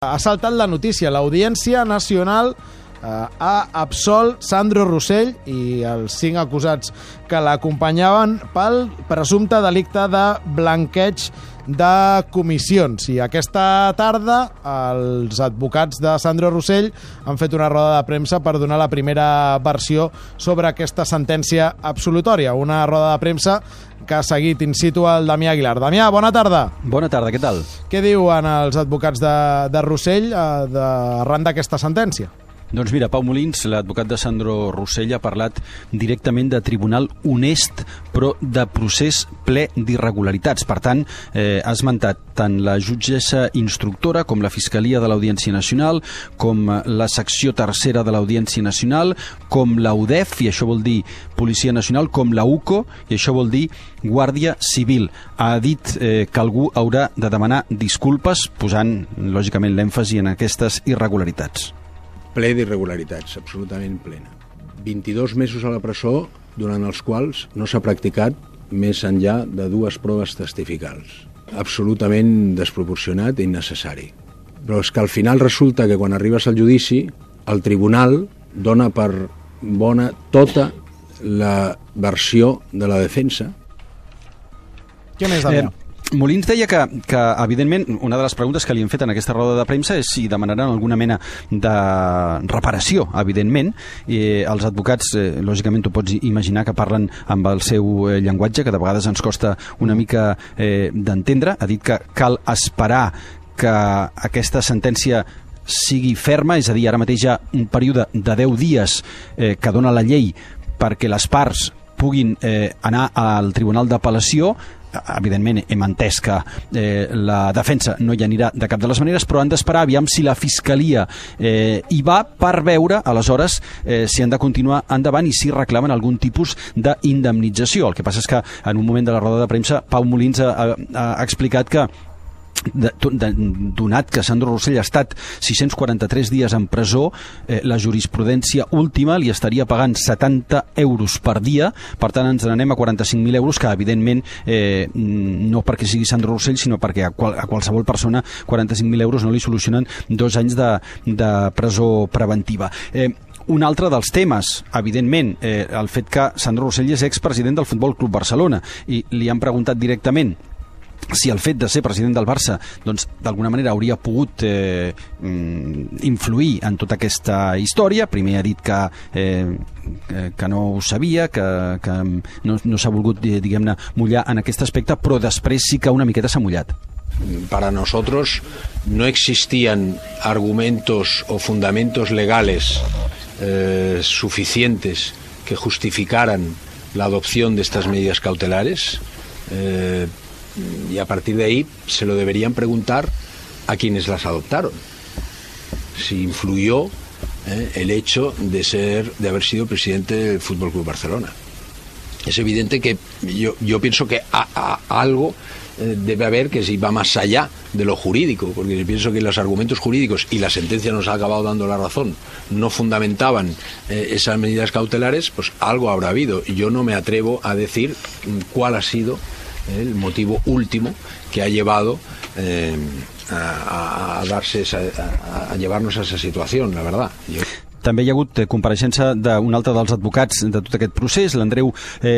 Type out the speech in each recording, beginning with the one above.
Ha saltat la notícia. L'Audiència Nacional ha absolt Sandro Rosell i els 5 acusats que l'acompanyaven pel presumpte delicte de blanqueig de comissions. I aquesta tarda els advocats de Sandro Rosell han fet una roda de premsa per donar la primera versió sobre aquesta sentència absolutòria. Una roda de premsa que ha seguit in situ el Damià Aguilar. Damià, bona tarda. Bona tarda, què tal? Què diuen els advocats de Rosell arran d'aquesta sentència? Doncs mira, Pau Molins, l'advocat de Sandro Rosell, ha parlat directament de tribunal honest, però de procés ple d'irregularitats. Per tant, ha esmentat tant la jutgessa instructora com la Fiscalia de l'Audiència Nacional, com la secció tercera de l'Audiència Nacional, com la UDEF, i això vol dir Policia Nacional, com la UCO, i això vol dir Guàrdia Civil. Ha dit que algú haurà de demanar disculpes, posant, lògicament, l'èmfasi en aquestes irregularitats. Ple d'irregularitats, absolutament plena. 22 mesos a la presó, durant els quals no s'ha practicat més enllà de 2 proves testificals. Absolutament desproporcionat i innecessari. Però és que al final resulta que quan arribes al judici, el tribunal dona per bona tota la versió de la defensa. Què més, Damià? Molins deia que, evidentment, una de les preguntes que li han fet en aquesta roda de premsa és si demanaran alguna mena de reparació, evidentment. Els advocats, lògicament, tu pots imaginar que parlen amb el seu llenguatge, que de vegades ens costa una mica d'entendre. Ha dit que cal esperar que aquesta sentència sigui ferma, és a dir, ara mateix hi ha un període de 10 dies que dona la llei perquè les parts puguin anar al Tribunal d'Apel·lació. Evidentment hem entès que la defensa no hi anirà de cap de les maneres, però han d'esperar aviam si la Fiscalia hi va per veure aleshores si han de continuar endavant i si reclamen algun tipus d'indemnització. El que passa és que en un moment de la roda de premsa Pau Molins ha explicat que donat que Sandro Rosell ha estat 643 dies en presó, la jurisprudència última li estaria pagant 70 euros per dia. Per tant ens n'anem a 45.000 euros, que evidentment no perquè sigui Sandro Rosell, sinó perquè a qualsevol persona 45.000 euros no li solucionen 2 anys de presó preventiva. Un altre dels temes, evidentment, el fet que Sandro Rosell és expresident del Futbol Club Barcelona, i li han preguntat directament si el fet de ser president del Barça doncs d'alguna manera hauria pogut influir en tota aquesta història. Primer ha dit que no ho sabia, que no s'ha volgut, diguem-ne, mullar en aquest aspecte, però després sí que una miqueta s'ha mullat. Para nosotros no existían argumentos o fundamentos legales suficientes que justificaran la adopción de estas medidas cautelares. Y a partir de ahí se lo deberían preguntar a quienes las adoptaron. Si influyó el hecho de haber sido presidente del Fútbol Club Barcelona. Es evidente que yo pienso que algo debe haber que si va más allá de lo jurídico, porque yo pienso que los argumentos jurídicos, y la sentencia nos ha acabado dando la razón, no fundamentaban esas medidas cautelares, pues algo habrá habido. Y yo no me atrevo a decir cuál ha sido el motivo último que ha llevado a llevarnos a esa situación, la verdad. També hi ha hagut compareixença d'un altre dels advocats de tot aquest procés, l'Andreu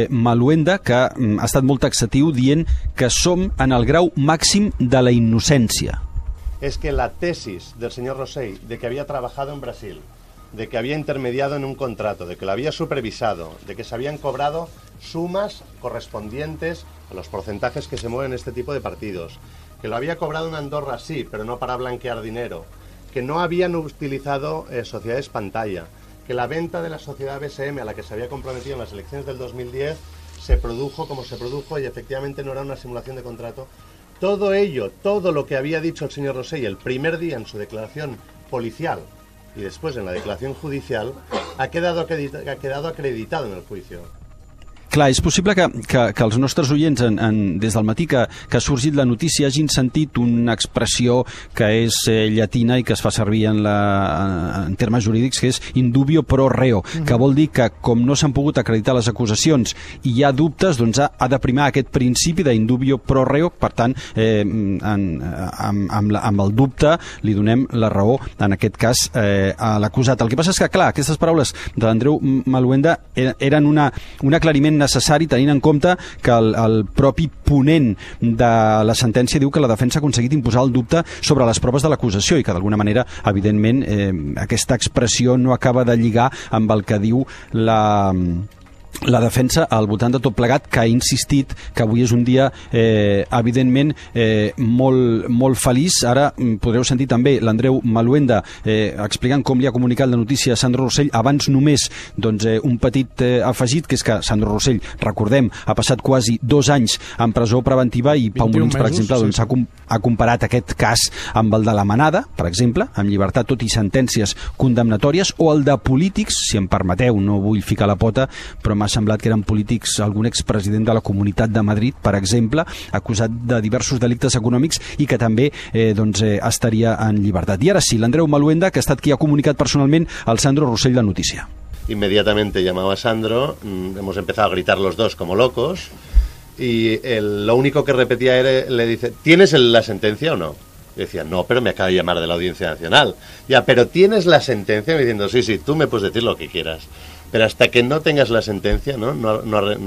Maluenda, que ha estat molt taxatiu dient que som en el grau màxim de la innocència. Es que la tesis del señor Rosell de que había trabajado en Brasil, de que había intermediado en un contrato, de que lo había supervisado, de que se habían cobrado sumas correspondientes a los porcentajes que se mueven en este tipo de partidos, que lo había cobrado en Andorra, sí, pero no para blanquear dinero, que no habían utilizado sociedades pantalla, que la venta de la sociedad BSM a la que se había comprometido en las elecciones del 2010 se produjo como se produjo y efectivamente no era una simulación de contrato. Todo ello, todo lo que había dicho el señor Rosell el primer día en su declaración policial y después en la declaración judicial ha quedado acreditado en el juicio. Clar, és possible que els nostres oients des del matí que ha sorgit la notícia hagin sentit una expressió que és llatina i que es fa servir en termes jurídics, que és indubio pro reo, que vol dir que com no s'han pogut acreditar les acusacions i hi ha dubtes, doncs ha de primar aquest principi d'indubio pro reo. Per tant, amb el dubte li donem la raó, en aquest cas, a l'acusat. El que passa és que, clar, aquestes paraules de l'Andreu Maluenda eren un aclariment necessari, tenint en compte que el propi ponent de la sentència diu que la defensa ha aconseguit imposar el dubte sobre les proves de l'acusació i que d'alguna manera, evidentment, aquesta expressió no acaba de lligar amb el que diu la defensa al voltant de tot plegat, que ha insistit que avui és un dia evidentment molt feliç. Ara podreu sentir també l'Andreu Maluenda explicant com li ha comunicat la notícia a Sandro Rosell. Abans només un petit afegit, que és que Sandro Rosell, recordem, ha passat quasi 2 anys en presó preventiva i Pau Molins, per exemple, ha comparat aquest cas amb el de la Manada, per exemple, amb llibertat tot i sentències condemnatòries, o el de polítics, si em permeteu, no vull ficar la pota, però m'ha semblat que eren polítics, algun expresident de la Comunitat de Madrid, per exemple, acusat de diversos delictes econòmics i que també estaria en llibertat. I ara sí, l'Andreu Maluenda, que ha estat qui ha comunicat personalment al Sandro Rosell la notícia. Inmediatamente llamaba a Sandro, hemos empezado a gritar los dos como locos y lo único que repetía era, le dice, ¿tienes la sentencia o no? Y decía, no, pero me acaba de llamar de la Audiencia Nacional. Ya, pero ¿tienes la sentencia? Me diciendo, sí, tú me puedes decir lo que quieras. Pero hasta que no tengas la sentencia,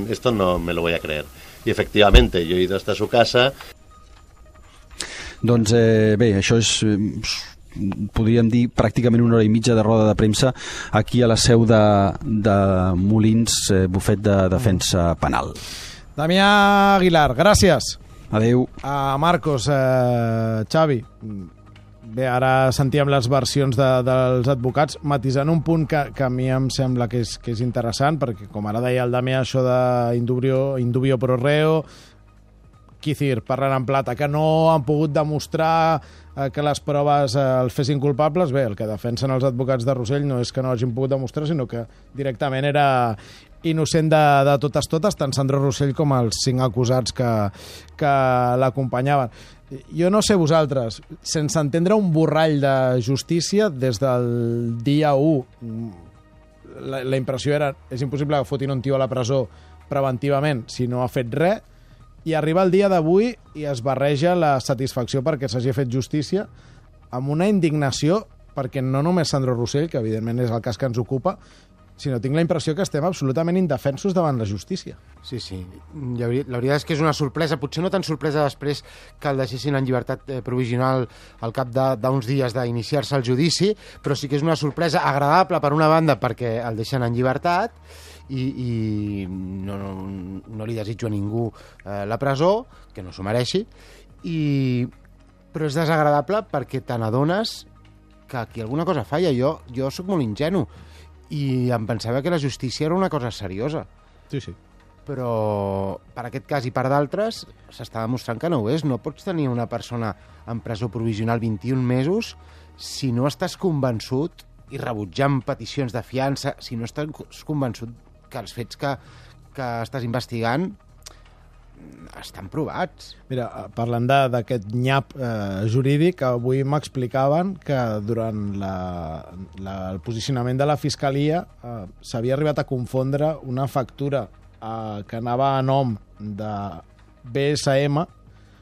esto no me lo voy a creer. Y efectivamente, yo he ido hasta su casa. Doncs bé, això és, podríem dir, pràcticament 1 hora i mitja de roda de premsa aquí a la seu de Molins, bufet de defensa penal. Damià Aguilar, gràcies. Adéu. Marcos, Xavi, bé, ara sentíem les versions dels advocats, matisant un punt que a mi em sembla que és interessant, perquè, com ara deia el Damià, això d'indubio pro reo, Quicir, parlant en plata, que no han pogut demostrar que les proves els fessin culpables. Bé, el que defensen els advocats de Rosell no és que no hagin pogut demostrar, sinó que directament era innocent de totes, tant Sandro Rosell com els 5 acusats que l'acompanyaven. Jo no sé vosaltres, sense entendre un borrall de justícia des del dia 1, la impressió era és impossible que fotin un tio a la presó preventivament si no ha fet res, i arriba el dia d'avui i es barreja la satisfacció perquè s'hagi fet justícia amb una indignació, perquè no només Sandro Rosell, que evidentment és el cas que ens ocupa, sinó tinc la impressió que estem absolutament indefensos davant la justícia. Sí. La veritat és que és una sorpresa, potser no tan sorpresa després que el deixessin en llibertat provisional al cap d'uns dies d'iniciar-se el judici, però sí que és una sorpresa agradable per una banda perquè el deixen en llibertat i no li desitjo a ningú la presó, que no s'ho mereixi, però és desagradable perquè te n'adones que aquí alguna cosa falla. Jo sóc molt ingenu i em pensava que la justícia era una cosa seriosa. Sí. Però per aquest cas i per d'altres s'està demostrant que no ho és. No pots tenir una persona en presó provisional 21 mesos si no estàs convençut, i rebutjant peticions de fiança, si no estàs convençut que els fets que estàs investigant estan provats. Mira, parlant d'aquest nyap jurídic, avui m'explicaven que durant el posicionament de la Fiscalia s'havia arribat a confondre una factura que anava a nom de BSM,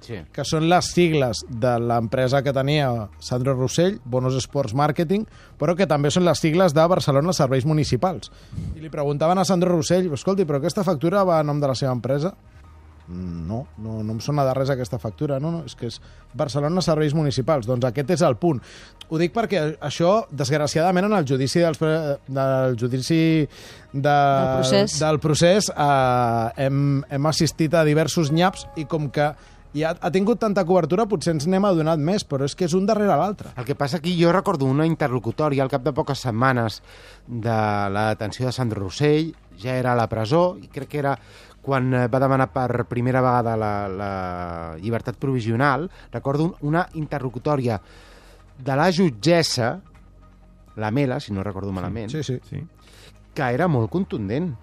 que són les sigles de l'empresa que tenia Sandro Rosell, Bonos Sports Marketing, però que també són les sigles de Barcelona Serveis Municipals. I li preguntaven a Sandro Rosell, escolti, però aquesta factura va a nom de la seva empresa? No em sona de res aquesta factura. No, és que és Barcelona Serveis Municipals. Doncs aquest és el punt. Ho dic perquè això, desgraciadament, en el judici del procés hem assistit a diversos nyaps i com que ja ha tingut tanta cobertura, potser ens n'hem adonat més, però és que és un darrere l'altre. El que passa aquí, jo recordo una interlocutòria al cap de poques setmanes de la detenció de Sandro Rosell, ja era a la presó, i crec que era quan va demanar per primera vegada la llibertat provisional. Recordo una interlocutòria de la jutgessa, la Mela, si no recordo malament, sí. que era molt contundent.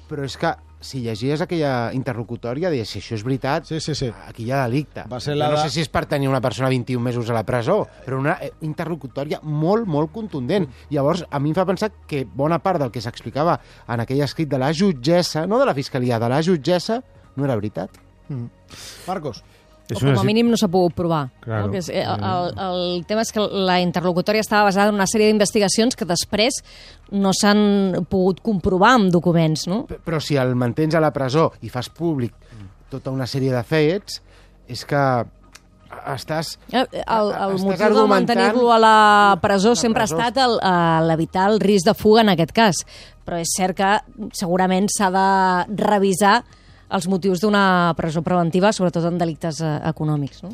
Però és que si llegies aquella interlocutòria, deies, si això és veritat, Sí. aquí hi ha delicte. Va ser Jo la no de- sé si és per tenir una persona 21 mesos a la presó, però una interlocutòria molt, molt contundent. Llavors, a mi em fa pensar que bona part del que s'explicava en aquell escrit de la jutgessa, no de la fiscalia, de la jutgessa, no era veritat. Marcos. És O com a mínim no s'ha pogut provar. Claro. No? Que el tema és que la interlocutòria estava basada en una sèrie d'investigacions que després no s'han pogut comprovar amb documents, no? Però si el mantens a la presó i fas públic tota una sèrie de fets, és que estàs... El Estàs motiu de argumentant mantenir-lo a la presó la sempre ha presó. estat l'evitar el risc de fuga en aquest cas. Però és cert que segurament s'ha de revisar els motius d'una presó preventiva, sobretot en delictes econòmics, ¿no?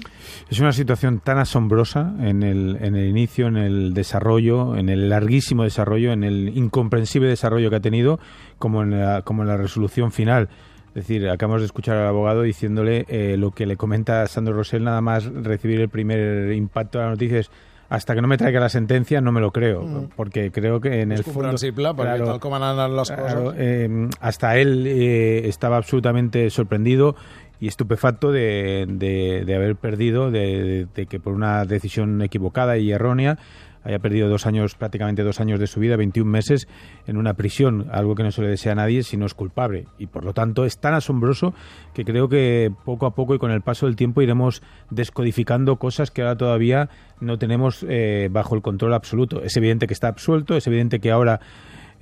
Es una situación tan asombrosa en el inicio, en el desarrollo, en el larguísimo desarrollo, en el incomprensible desarrollo que ha tenido, como en la resolución final. Es decir, acabamos de escuchar al abogado diciéndole lo que le comenta Sandro Rosell, nada más recibir el primer impacto de la noticia es: hasta que no me traiga la sentencia no me lo creo, porque creo que en el És comprensible, fondo... perquè tal com han anat les coses... hasta él estaba absolutamente sorprendido y estupefacto de haber perdido, de que por una decisión equivocada y errónea haya perdido prácticamente 2 años de su vida, 21 meses en una prisión, algo que no se le desea a nadie si no es culpable. Y por lo tanto es tan asombroso que creo que poco a poco y con el paso del tiempo iremos descodificando cosas que ahora todavía no tenemos bajo el control absoluto. Es evidente que está absuelto, es evidente que ahora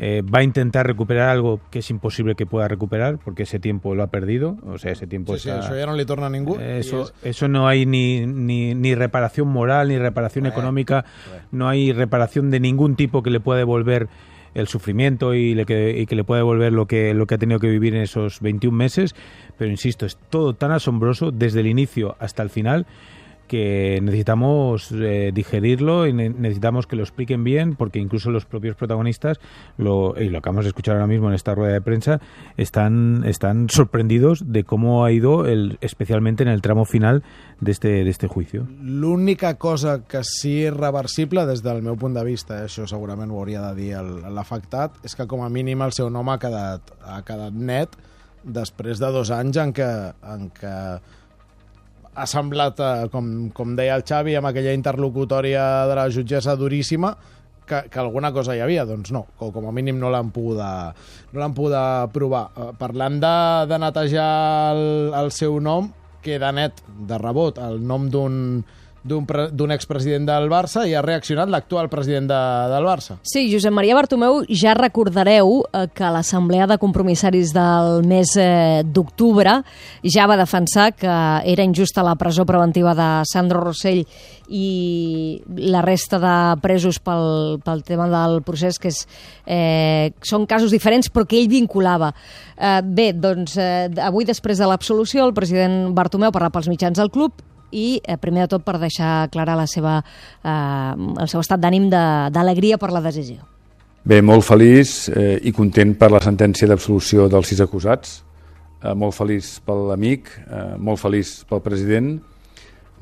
va a intentar recuperar algo que es imposible que pueda recuperar porque ese tiempo lo ha perdido, o sea, ese tiempo Sí, está... això ja no li torna a ningú. Eso no hay ni reparación moral, ni reparación económica, no hay reparación de ningún tipo que le pueda devolver el sufrimiento y que le pueda devolver lo que ha tenido que vivir en esos 21 meses, pero insisto, es todo tan asombroso desde el inicio hasta el final que necesitamos digerirlo y necesitamos que lo expliquen bien, porque incluso los propios protagonistas, y lo acabamos de escuchar ahora mismo en esta rueda de prensa, están sorprendidos de cómo ha ido, especialmente en el tramo final de este juicio. L'única cosa que sí és reversible des del meu punt de vista, això segurament ho hauria de dir l'afectat, és que com a mínim el seu nom ha quedat net després de 2 anys en què ha semblat, com deia el Xavi, amb aquella interlocutòria de la jutgessa duríssima, que alguna cosa hi havia. Doncs no, com a mínim no l'han pogut provar. Parlant de netejar el seu nom, queda net de rebot el nom d'un expresident del Barça i ha reaccionat l'actual president del Barça. Sí, Josep Maria Bartomeu, ja recordareu que a l'Assemblea de Compromissaris del mes d'octubre ja va defensar que era injusta la presó preventiva de Sandro Rosell i la resta de presos pel tema del procés, que són casos diferents però que ell vinculava. Bé, doncs avui, després de l'absolució, el president Bartomeu parla pels mitjans del club i primer de tot per deixar clara el seu estat d'ànim d'alegria per la decisió. Bé, molt feliç i content per la sentència d'absolució dels 6 acusats, molt feliç per l'amic, molt feliç pel president,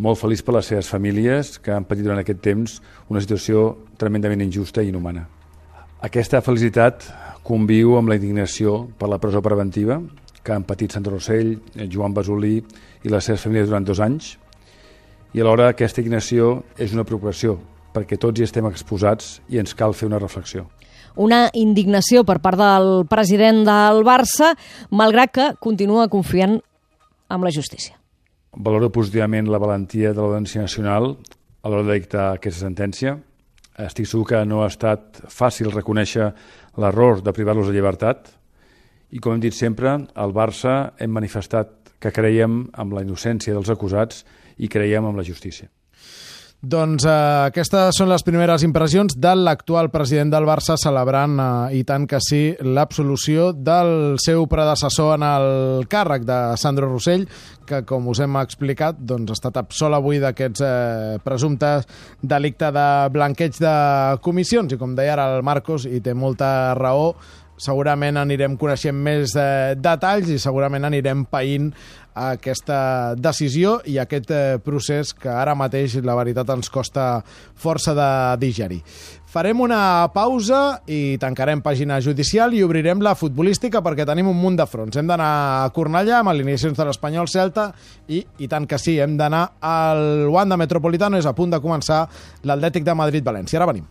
molt feliç per les seves famílies que han patit durant aquest temps una situació tremendament injusta i inhumana. Aquesta felicitat conviu amb la indignació per la presó preventiva que han patit Sandro Rosell, Joan Basolí i les seves famílies durant 2 anys, i alhora aquesta indignació és una preocupació perquè tots hi estem exposats i ens cal fer una reflexió. Una indignació per part del president del Barça, malgrat que continua confiant en la justícia. Valoro positivament la valentia de l'Audiència Nacional a l'hora de dictar aquesta sentència. Estic segur que no ha estat fàcil reconèixer l'error de privar-los de llibertat i, com hem dit sempre, al Barça hem manifestat que creiem en la innocència dels acusats i creiem en la justícia. Doncs aquestes són les primeres impressions de l'actual president del Barça celebrant, i tant que sí, l'absolució del seu predecessor en el càrrec de Sandro Rosell, que, com us hem explicat, doncs, ha estat absolt avui d'aquests presumptes delicte de blanqueig de comissions. I com deia ara el Marcos, i té molta raó, segurament anirem coneixent més detalls i segurament anirem païnt aquesta decisió i aquest procés que ara mateix, la veritat, ens costa força de digerir. Farem una pausa i tancarem pàgina judicial i obrirem la futbolística perquè tenim un munt de fronts. Hem d'anar a Cornellà amb alineacions de l'Espanyol Celta i tant que sí, hem d'anar al Wanda Metropolitano, és a punt de començar l'Atlètic de Madrid-València. Ara venim.